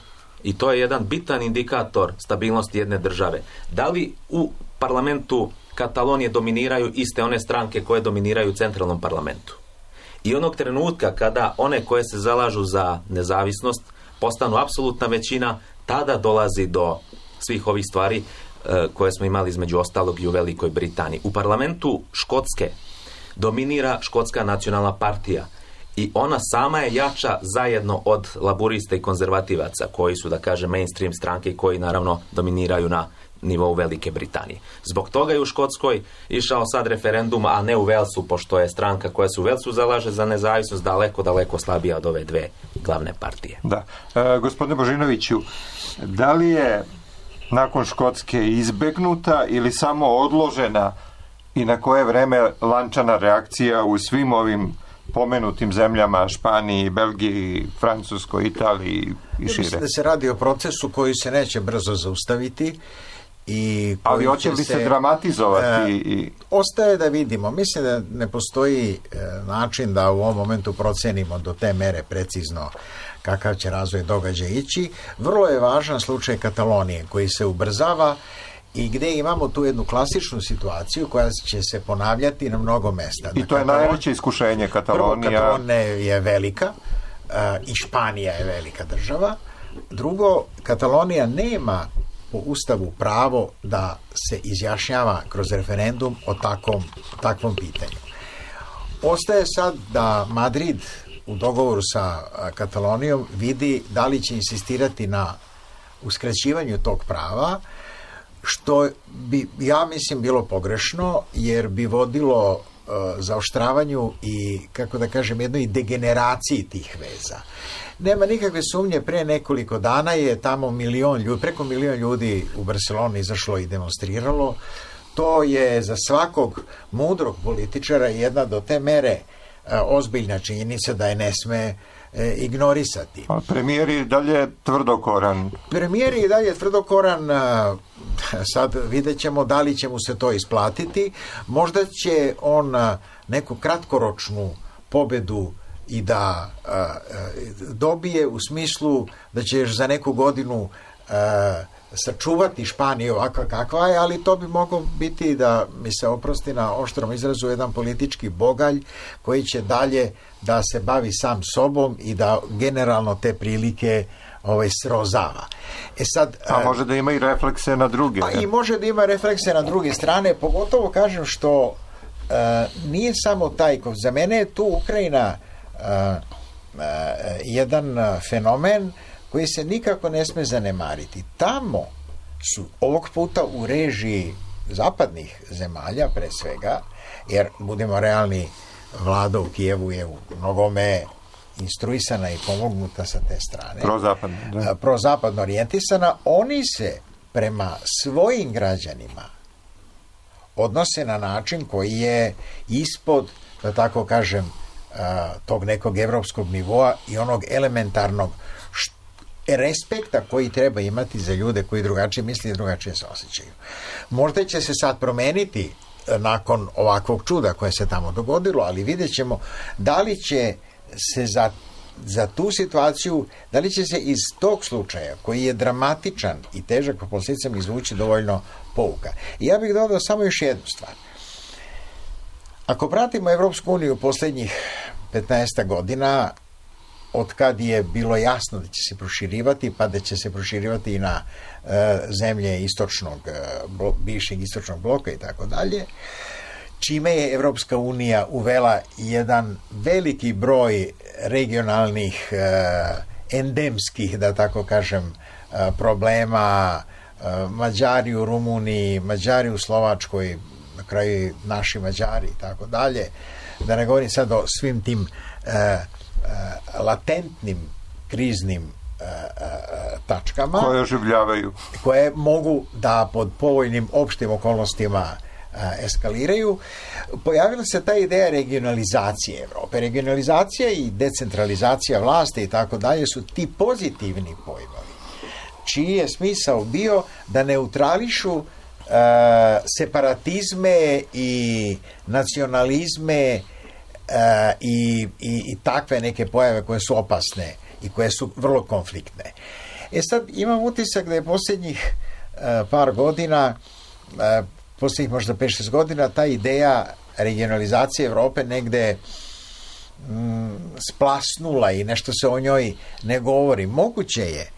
I to je jedan bitan indikator stabilnosti jedne države. Da li u parlamentu Katalonije dominiraju iste one stranke koje dominiraju u centralnom parlamentu? I onog trenutka kada one koje se zalažu za nezavisnost postanu apsolutna većina, tada dolazi do svih ovih stvari e, koje smo imali između ostalog i u Velikoj Britaniji. U parlamentu Škotske dominira Škotska nacionalna partija i ona sama je jača zajedno od laburista i konzervativaca koji su, da kažem, mainstream stranke i koji naravno dominiraju na nivou Velike Britanije. Zbog toga je u Škotskoj išao sad referendum, a ne u Velsu, pošto je stranka koja se u Velsu zalaže za nezavisnost daleko, daleko slabija od ove dve glavne partije. Da. E, gospodine Božinoviću, da li je nakon Škotske izbegnuta ili samo odložena i na koje vreme lančana reakcija u svim ovim pomenutim zemljama, Španiji, Belgiji, Francuskoj, Italiji i šire? Mislim da se radi o procesu koji se neće brzo zaustaviti. I ali hoće li se, se dramatizovati? E, i... Ostaje da vidimo. Mislim da ne postoji e, način da u ovom momentu procenimo do te mere precizno kakav će razvoj događaja ići. Vrlo je važan slučaj Katalonije koji se ubrzava i gde imamo tu jednu klasičnu situaciju koja će se ponavljati na mnogo mesta. I to je Katalon... najveće iskušenje Katalonija. Prvo, Katalonija je velika e, i Španija je velika država. Drugo, Katalonija nema po Ustavu pravo da se izjašnjava kroz referendum o takvom, takvom pitanju. Ostaje sad da Madrid u dogovoru sa Katalonijom vidi da li će insistirati na uskraćivanju tog prava, što bi, ja mislim, bilo pogrešno, jer bi vodilo uh, zaoštravanju i, kako da kažem, jednoj degeneraciji tih veza. Nema nikakve sumnje, pre nekoliko dana je tamo milion ljudi, preko milion ljudi u Barceloni izašlo i demonstriralo. To je za svakog mudrog političara jedna do te mere e, ozbiljna činjenica da je ne sme e, ignorisati. A premijer je dalje tvrdokoran. Premijer je dalje tvrdokoran, a, sad vidjet ćemo da li će mu se to isplatiti. Možda će on a, neku kratkoročnu pobedu i da a, a, dobije u smislu da će još za neku godinu a, sačuvati Španiju ovakva kakva je, ali to bi moglo biti, da mi se oprosti na oštrom izrazu, jedan politički bogalj koji će dalje da se bavi sam sobom i da generalno te prilike ovaj, srozava. E sad, a može da ima i reflekse na druge. Pa i može da ima reflekse na druge strane, pogotovo kažem što uh, nije samo taj, za mene je tu Ukrajina uh, uh, jedan fenomen koji se nikako ne sme zanemariti. Tamo su ovog puta u režiji zapadnih zemalja, pre svega, jer budemo realni, vlada u Kijevu je u mnogome instruisana i pomognuta sa te strane. Prozapadno, da. Prozapadno orijentisana. Oni se prema svojim građanima odnose na način koji je ispod, da tako kažem, tog nekog evropskog nivoa i onog elementarnog respekta koji treba imati za ljude koji drugačije misle i drugačije se osjećaju. Možda će se sad promeniti nakon ovakvog čuda koje se tamo dogodilo, ali vidjet ćemo da li će se za, za tu situaciju, da li će se iz tog slučaja, koji je dramatičan i težak po posljedicama, izvući dovoljno pouka. I ja bih dodao samo još jednu stvar. Ako pratimo Evropsku uniju posljednjih petnaest godina, od kad je bilo jasno da će se proširivati, pa da će se proširivati i na e, zemlje istočnog, blo, bivšeg istočnog bloka i tako dalje, čime je Evropska unija uvela jedan veliki broj regionalnih, e, endemskih, da tako kažem, e, problema, e, Mađari u Rumuniji, Mađari u Slovačkoj, na kraju naši Mađari i tako dalje, da ne govorim sad o svim tim e, e, latentnim kriznim e, e, tačkama koje oživljavaju, koje mogu da pod povoljnim opštim okolnostima e, eskaliraju. Pojavila se ta ideja regionalizacije Evrope. Regionalizacija i decentralizacija vlasti i tako dalje su ti pozitivni pojmovi, čiji je smisao bio da neutrališu Uh, separatizme i nacionalizme uh, i, i, i takve neke pojave koje su opasne i koje su vrlo konfliktne. E sad imam utisak da je posljednjih uh, par godina, uh, posljednjih možda pet šest godina, ta ideja regionalizacije Evrope negde mm, splasnula i nešto se o njoj ne govori. Moguće je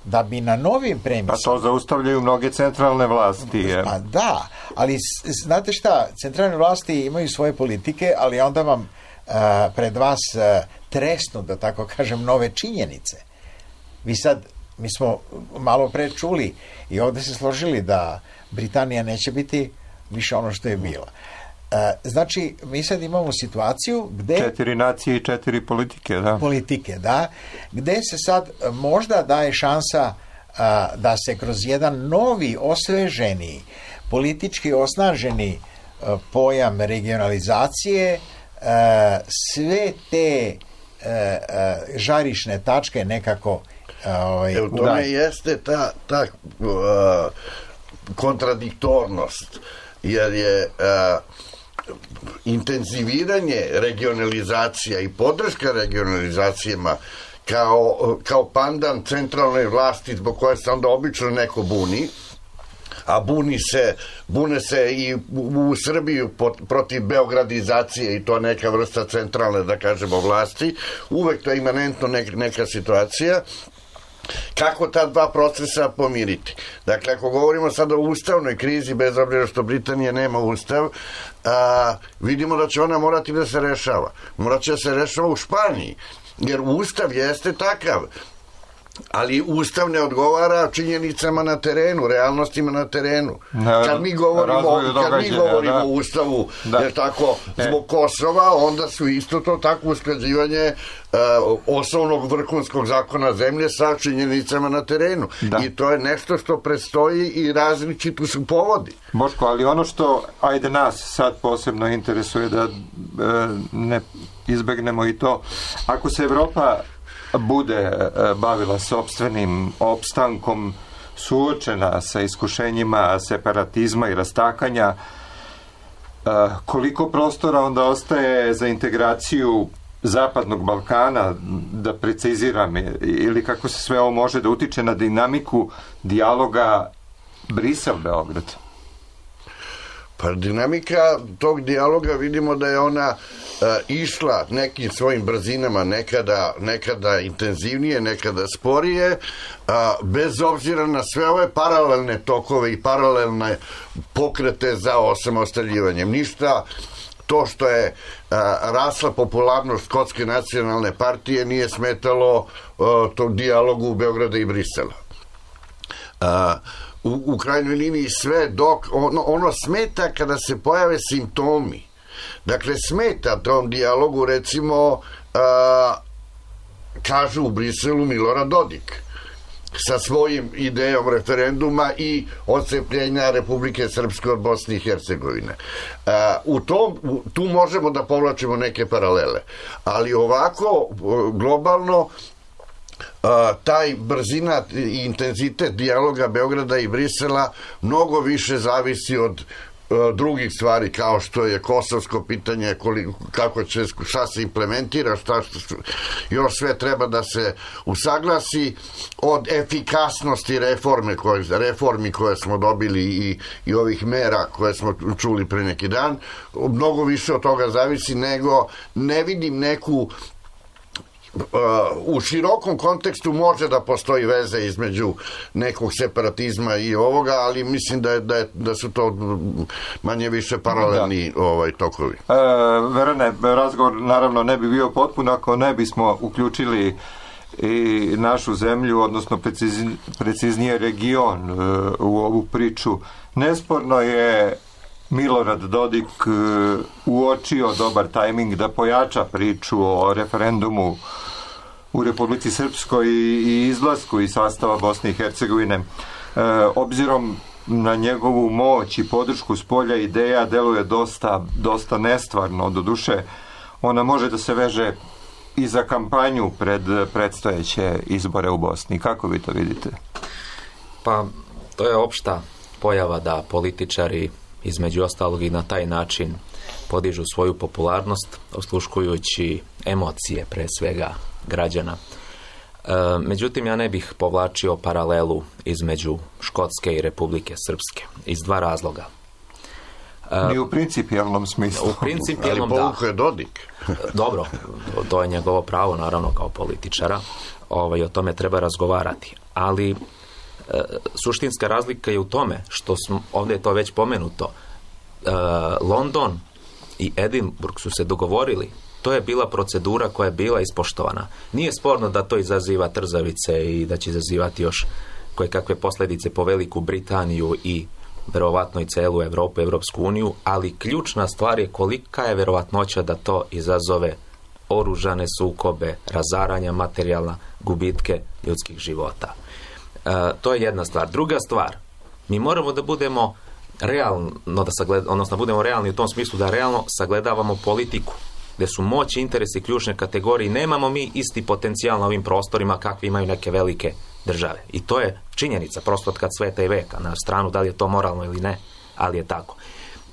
da bi na novim premisima... Pa to zaustavljaju mnoge centralne vlasti. Je. Pa da, ali znate šta, centralne vlasti imaju svoje politike, ali onda vam uh, pred vas uh, tresnu, da tako kažem, nove činjenice. Vi sad, mi smo malo pre čuli i ovde se složili da Britanija neće biti više ono što je bila. Uh, znači, mi sad imamo situaciju gde... Četiri nacije i četiri politike, da. Politike, da. Gde se sad možda daje šansa uh, da se kroz jedan novi, osveženi, politički osnaženi uh, pojam regionalizacije uh, sve te uh, uh, žarišne tačke nekako uh, Evo, to me jeste ta, ta uh, kontradiktornost, jer je uh, intenziviranje regionalizacija i podrška regionalizacijama kao, kao pandan centralnoj vlasti zbog koje se onda obično neko buni, a buni se, bune se i u, u Srbiji protiv beogradizacije i to neka vrsta centralne, da kažemo, vlasti. Uvek to je imanentno neka, neka situacija. Kako ta dva procesa pomiriti? Dakle, ako govorimo sada o ustavnoj krizi, bez obzira što Britanija nema ustav, a, vidimo da će ona morati da se rešava. Morat će da se rešava u Španiji, jer ustav jeste takav, ali ustav ne odgovara činjenicama na terenu, realnostima na terenu. Ne, kad mi govorimo, kad mi govorimo da. o ustavu, da. jer tako, zbog Kosova, onda su isto to tako usklađivanje uh, osnovnog vrhunskog zakona zemlje sa činjenicama na terenu. Da. I to je nešto što predstoji i različito su povodi. Boško, ali ono što, ajde, nas sad posebno interesuje da e, ne izbegnemo i to, ako se Evropa bude bavila sopstvenim opstankom, suočena sa iskušenjima separatizma i rastakanja, koliko prostora onda ostaje za integraciju Zapadnog Balkana, da preciziram, ili kako se sve ovo može da utiče na dinamiku dijaloga Brisel-Beograd? Pa dinamika tog dijaloga, vidimo da je ona uh, išla nekim svojim brzinama, nekada, nekada intenzivnije, nekada sporije, uh, bez obzira na sve ove paralelne tokove i paralelne pokrete za osamostaljivanjem. Ništa to što je uh, rasla popularnost Škotske nacionalne partije nije smetalo uh, tog dijalogu Beograda i Brisela. Uh, U, u krajnjoj liniji sve dok ono, ono smeta kada se pojave simptomi. Dakle, smeta tom dijalogu, recimo, a, kažu u Briselu Milorad Dodik sa svojim idejom referenduma i odcepljenja Republike Srpske od Bosne i Hercegovine. A, u tom, u, tu možemo da povlačimo neke paralele. Ali ovako, globalno, Uh, taj brzina i intenzitet dijaloga Beograda i Brisela mnogo više zavisi od uh, drugih stvari, kao što je kosovsko pitanje, koliko, kako će, šta se implementira, šta, šta još sve treba da se usaglasi, od efikasnosti reforme koje, reformi koje smo dobili i, i ovih mera koje smo čuli pre neki dan. Mnogo više od toga zavisi, nego ne vidim neku u širokom kontekstu može da postoji veze između nekog separatizma i ovoga, ali mislim da, je, da, je, da su to manje više paralelni da. ovaj, tokovi. E, Verane, razgovor naravno ne bi bio potpun ako ne bismo uključili i našu zemlju, odnosno precizni, preciznije region e, u ovu priču. Nesporno je Milorad Dodik e, uočio dobar tajming da pojača priču o referendumu u Republici Srpskoj i, i izlasku iz sastava Bosne i Hercegovine. E, obzirom na njegovu moć i podršku s polja ideja deluje dosta, dosta nestvarno. Doduše, ona može da se veže i za kampanju pred predstojeće izbore u Bosni. Kako vi to vidite? Pa, to je opšta pojava da političari između ostalog i na taj način podižu svoju popularnost, osluškujući emocije pre svega građana. E, međutim, ja ne bih povlačio paralelu između Škotske i Republike Srpske iz dva razloga. E, Ni u principijalnom smislu. U principijalnom, ali povukao je Dodik. Dobro, to je njegovo pravo, naravno, kao političara. Ovaj, o tome treba razgovarati. Ali e, suštinska razlika je u tome što smo, ovdje je to već pomenuto, e, London i Edinburgh su se dogovorili. To je bila procedura koja je bila ispoštovana. Nije sporno da to izaziva trzavice i da će izazivati još koje kakve posljedice po Veliku Britaniju i verovatno i celu Evropu, Evropsku uniju, ali ključna stvar je kolika je verovatnoća da to izazove oružane sukobe, razaranja materijalna, gubitke ljudskih života. E, to je jedna stvar. Druga stvar, mi moramo da budemo realno, da sagled, odnosno budemo realni u tom smislu da realno sagledavamo politiku, gdje su moć i interesi ključne kategorije. Nemamo mi isti potencijal na ovim prostorima kakvi imaju neke velike države. I to je činjenica, prosto od kad sveta i veka, na stranu da li je to moralno ili ne, ali je tako.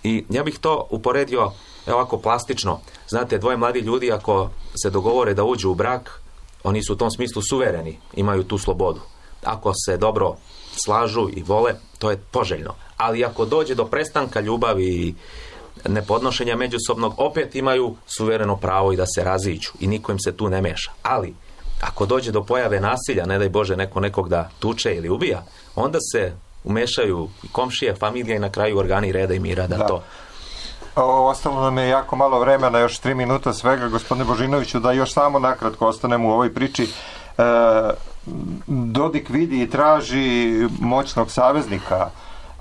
I ja bih to uporedio ovako plastično. Znate, dvoje mladi ljudi ako se dogovore da uđu u brak, oni su u tom smislu suvereni, imaju tu slobodu. Ako se dobro slažu i vole, to je poželjno. Ali ako dođe do prestanka ljubavi i nepodnošenja međusobnog, opet imaju suvereno pravo i da se raziđu i niko im se tu ne meša. Ali ako dođe do pojave nasilja, ne daj Bože neko nekog da tuče ili ubija, onda se umešaju i komšije, familija i na kraju organi reda i mira da, da. to... O, ostalo nam je jako malo vremena, još tri minuta svega, gospodine Božinoviću, da još samo nakratko ostanemo u ovoj priči. E, Dodik vidi i traži moćnog saveznika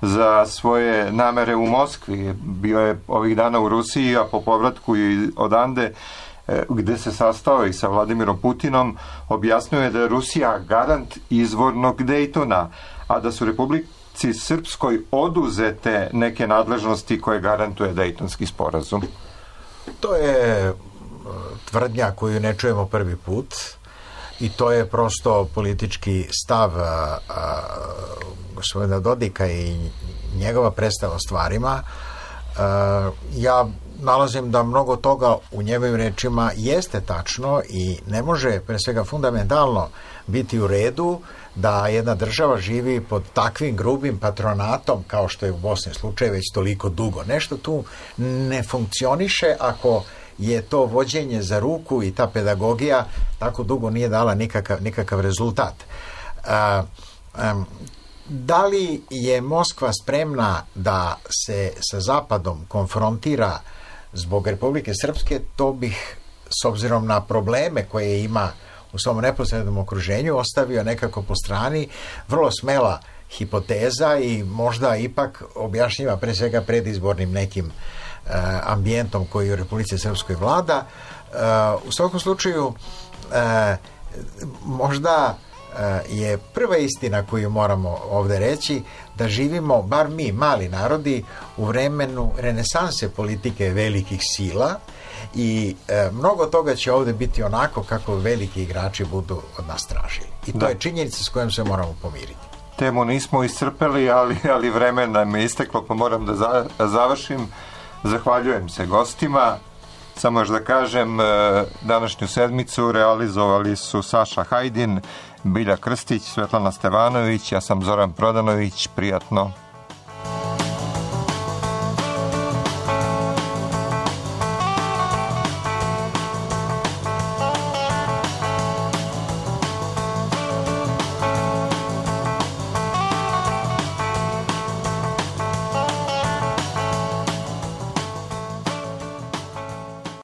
za svoje namere u Moskvi. Bio je ovih dana u Rusiji, a po povratku i odande, gde se sastao i sa Vladimirom Putinom, objasnio je da je Rusija garant izvornog Dejtona, a da su Republici Srpskoj oduzete neke nadležnosti koje garantuje Dejtonski sporazum. To je tvrdnja koju ne čujemo prvi put i to je prosto politički stav a, a, gospodina Dodika i njegova predstava o stvarima. A, ja nalazim da mnogo toga u njegovim rečima jeste tačno i ne može pre svega fundamentalno biti u redu da jedna država živi pod takvim grubim patronatom kao što je u Bosni slučaj već toliko dugo. Nešto tu ne funkcioniše ako je to vođenje za ruku i ta pedagogija tako dugo nije dala nikakav, nikakav rezultat. A, a, da li je Moskva spremna da se sa Zapadom konfrontira zbog Republike Srpske, to bih s obzirom na probleme koje ima u svom neposrednom okruženju ostavio nekako po strani. Vrlo smela hipoteza i možda ipak objašnjiva pre svega predizbornim nekim uh, ambijentom koji u Republici Srpskoj vlada. Uh, u svakom slučaju uh, možda uh, je prva istina koju moramo ovdje reći da živimo, bar mi, mali narodi, u vremenu renesanse politike velikih sila i e, mnogo toga će ovdje biti onako kako veliki igrači budu od nas tražili. I to da. je činjenica s kojom se moramo pomiriti. Temu nismo iscrpeli, ali, ali vreme nam je isteklo, pa moram da za, završim. Zahvaljujem se gostima. Samo još da kažem, današnju sedmicu realizovali su Saša Hajdin, Bilja Krstić, Svetlana Stevanović, ja sam Zoran Prodanović. Prijatno.